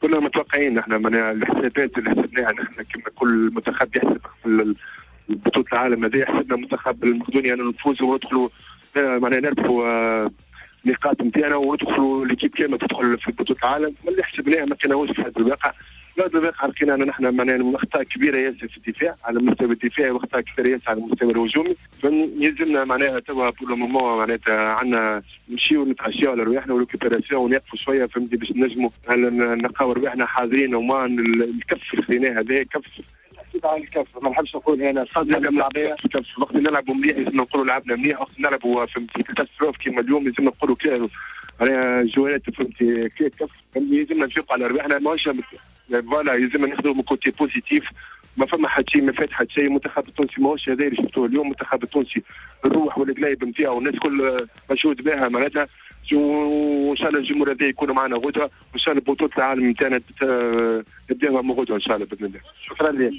كنا متوقعين احنا معناها الحسابات اللي حسبناها نحن كما كل منتخب يحسب في بطوله العالم هذه، حسبنا منتخب المقدوني انه نفوزوا وندخلوا معناها نربحوا نقاط نتاعنا وندخلوا l'équipe كاملة تدخل في بطوله العالم. اللي حسبناه ما كانوش في هذا الواقع. هذا الواقع لقينا ان نحن معناها اخطاء كبيرة ياسر في الدفاع على المستوى الدفاعي واخطاء كبيرة ياسر على المستوى الهجومي. يلزمنا معناها توا pour le moment معناتها عندنا نمشيو نتعشيو على رواحنا و récupération ونقفوا شوية، فهمتي، باش نجموا نلقاو رواحنا حاضرين وما الكف اللي خذيناه هذا كف. على الكف ما نحبش نقول انا صدمة. كف وقت نلعبوا مليح لازم نقولوا لعبنا مليح، وقت نلعبوا فهمتي catastrophe كيما اليوم لازم نقولوا كي جوارات فهمتي كف. لازم نفيقوا على رواحنا، ماهوش voilà، لازم ناخذوا من côté positif. ما فما حتى شيء، ما فات حتى شيء. المنتخب التونسي ماهوش هذا اللي شفتوه اليوم. المنتخب التونسي الروح والقلايب نتاعو الناس الكل مشهود بها معناتها، وان شاء الله الجمهور هذا يكونوا معنا غدوه، وان شاء الله بطوله العالم نتاعنا نبداوها من غدوه ان شاء الله باذن الله. شكرا لك.